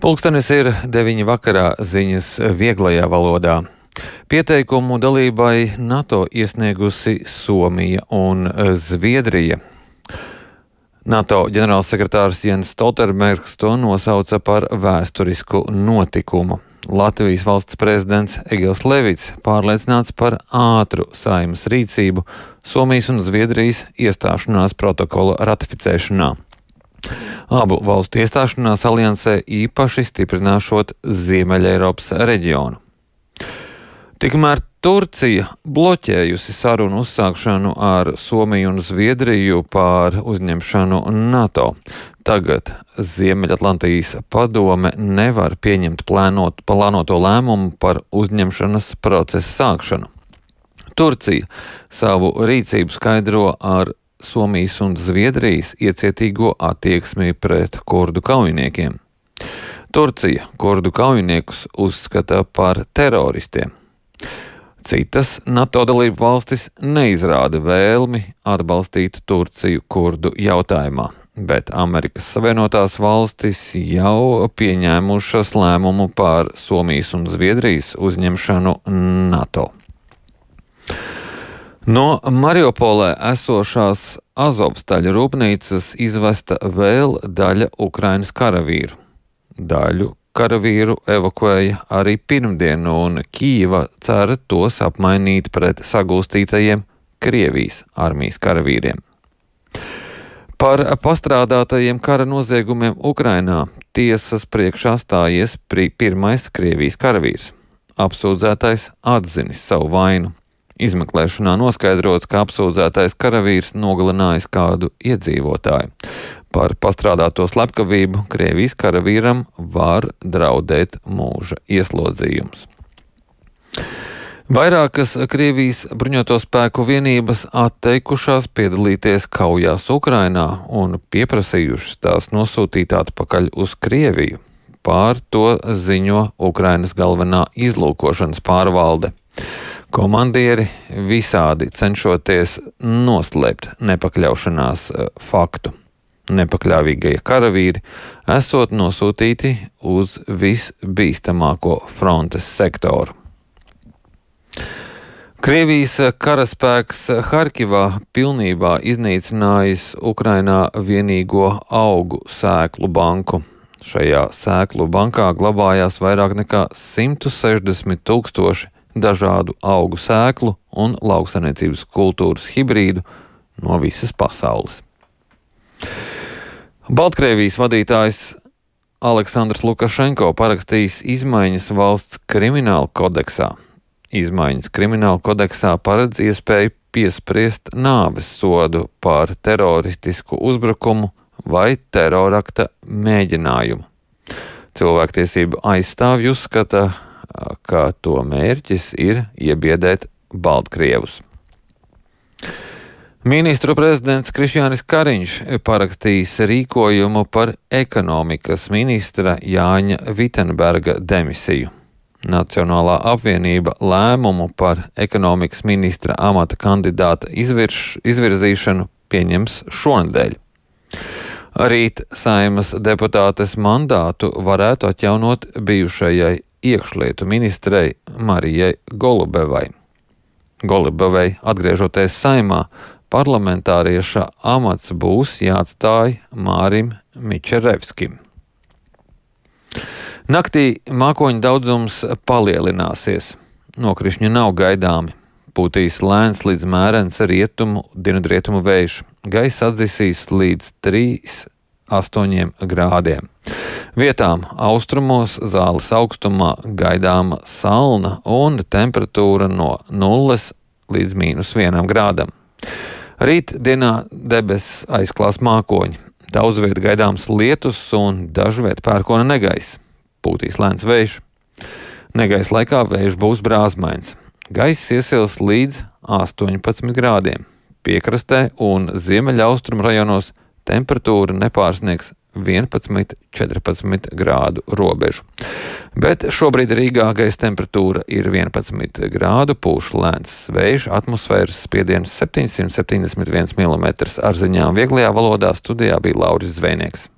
Pulkstenis ir 9 vakarā, ziņas vieglajā valodā. Pieteikumu dalībai NATO iesniegusi Somija un Zviedrija. NATO ģenerālsekretārs Jens Stoltenbergs to nosauca par vēsturisku notikumu. Latvijas valsts prezidents Egils Levits pārliecināts par ātru Saeimas rīcību Somijas un Zviedrijas iestāšanās protokola ratificēšanā. Abu valstu iestāšanās aliansē īpaši stiprināšot Ziemeļeiropas reģionu. Tikmēr Turcija bloķējusi sarunu uzsākšanu ar Somiju un Zviedriju par uzņemšanu NATO. Tagad Ziemeļatlantijas padome nevar pieņemt plānoto lēmumu par uzņemšanas procesa sākšanu. Turcija savu rīcību skaidro ar Somijas un Zviedrijas iecietīgo attieksmi pret kurdu kaujiniekiem. Turcija kurdu kaujiniekus uzskata par teroristiem. Citas NATO dalību valstis neizrāda vēlmi atbalstīt Turciju kurdu jautājumā, bet Amerikas Savienotās valstis jau pieņēmušas lēmumu par Somijas un Zviedrijas uzņemšanu NATO. No Mariupolē esošās Azovstaļa rūpnīcas izvesta vēl daļa Ukrainas karavīru. Daļu karavīru evakuēja arī pirmdien, un Kīva cer tos apmainīt pret sagūstītajiem Krievijas armijas karavīriem. Par pastrādātajiem kara noziegumiem Ukrainā tiesas priekšā stājies pirmais Krievijas karavīrs. Apsūdzētais atzinis savu vainu. Izmeklēšanā noskaidrots, ka apsūdzētais karavīrs nogalinājis kādu iedzīvotāju. Par pastrādāto slepkavību Krievijas karavīram var draudēt mūža ieslodzījums. Vairākas Krievijas bruņoto spēku vienības atteikušās piedalīties kaujās Ukrainā un pieprasījušas tās nosūtīt atpakaļ uz Krieviju. Pār to ziņo Ukrainas galvenā izlūkošanas pārvalde. Komandieri visādi cenšoties noslēpt nepakļaušanās faktu. Nepakļāvīgie karavīri esot nosūtīti uz visbīstamāko frontes sektoru. Krievijas karaspēks Harkivā pilnībā iznīcinājis Ukrainā vienīgo augu sēklu banku. Šajā sēklu bankā glabājās vairāk nekā 160 000 dažādu augu sēklu un lauksaimniecības kultūras hibrīdu no visas pasaules. Baltkrievijas vadītājs Aleksandrs Lukašenko parakstījis izmaiņas valsts krimināla kodeksā. Izmaiņas krimināla kodeksā paredz iespēju piespriest nāves sodu par teroristisku uzbrukumu vai terorakta mēģinājumu. Cilvēktiesību aizstāvji uzskata, ka to mērķis ir iebiedēt Baltkrievus. Ministru prezidents Krišjānis Kariņš parakstījis rīkojumu par ekonomikas ministra Jāņa Vitenberga demisiju. Nacionālā apvienība lēmumu par ekonomikas ministra amata kandidāta izvirzīšanu pieņems šonedēļ. Rīt Saeimas deputātes mandātu varētu atjaunot bijušajai iekšlietu ministrei Marijai Golubevai. Golubevai atgriežoties Saeimā, parlamentārieša amats būs jāatstāj Mārim Mičerevskim. Naktī mākoņu daudzums palielināsies. Nokrišņi nav gaidāmi. Pūtīs lēns līdz mērens rietumu, dienvidrietumu vējš. Gaisa atdzisīs līdz 3–8 grādiem. Vietām austrumos Zāles augstumā gaidāma salna un temperatūra no 0 līdz -1 grādam. Rīt dienā debesis aizklās mākoņi. Daudz viet gaidāms lietus un dažviet pērkona negaiss. Pūtīs lēns vējš. Negaisa laikā vējš būs brāzmains. Gaiss iesils līdz 18 grādiem. Piekrastē un ziemeļaustrumu rajonos temperatūra nepārsniegs 11–14 grādu robežu. Bet šobrīd Rīgā gaisa temperatūra ir 11 grādu, pūš lēns vējš, atmosfēras spiediens 771 mm. Ar ziņām vieglajā valodā studijā bija Lauris Zvejnieks.